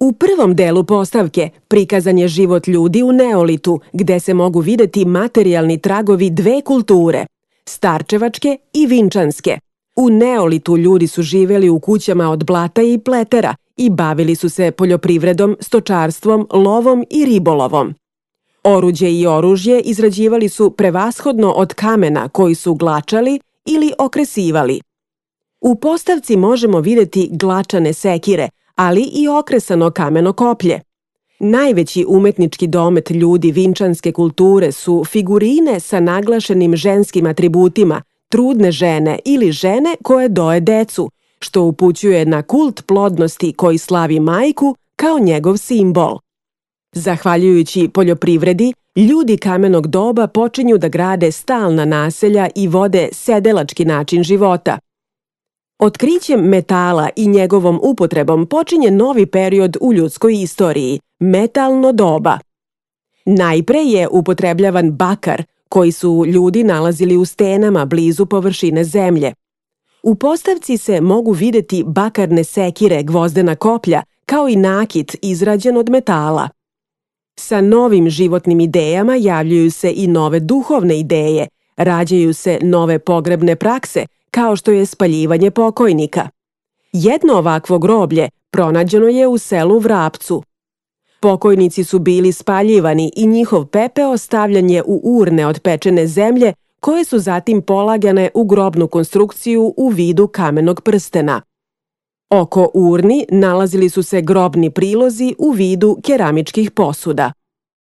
U prvom delu postavke prikazan je život ljudi u neolitu, gde se mogu videti materijalni tragovi dve kulture, starčevačke i vinčanske. U neolitu ljudi su živeli u kućama od blata i pletera i bavili su se poljoprivredom, stočarstvom, lovom i ribolovom. Oruđe i oružje izrađivali su prevashodno od kamena koji su glačali ili okresivali. U postavci možemo videti glačane sekire, ali i okresano kameno koplje. Najveći umetnički domet ljudi vinčanske kulture su figurine sa naglašenim ženskim atributima, trudne žene ili žene koje doje decu, što upućuje na kult plodnosti koji slavi majku kao njegov simbol. Zahvaljujući poljoprivredi, ljudi kamenog doba počinju da grade stalna naselja i vode sedelački način života. Otkrićem metala i njegovom upotrebom počinje novi period u ljudskoj istoriji – metalno doba. Najpre je upotrebljavan bakar, koji su ljudi nalazili u stenama blizu površine zemlje. U postavci se mogu videti bakarne sekire, gvozdena koplja, kao i nakit izrađen od metala. Sa novim životnim idejama javljaju se i nove duhovne ideje, rađaju se nove pogrebne prakse, kao što je spaljivanje pokojnika. Jedno ovakvo groblje pronađeno je u selu Vrapcu. Pokojnici su bili spaljivani i njihov pepeo stavljan je u urne od pečene zemlje, koje su zatim polagane u grobnu konstrukciju u vidu kamenog prstena. Oko urni nalazili su se grobni prilozi u vidu keramičkih posuda.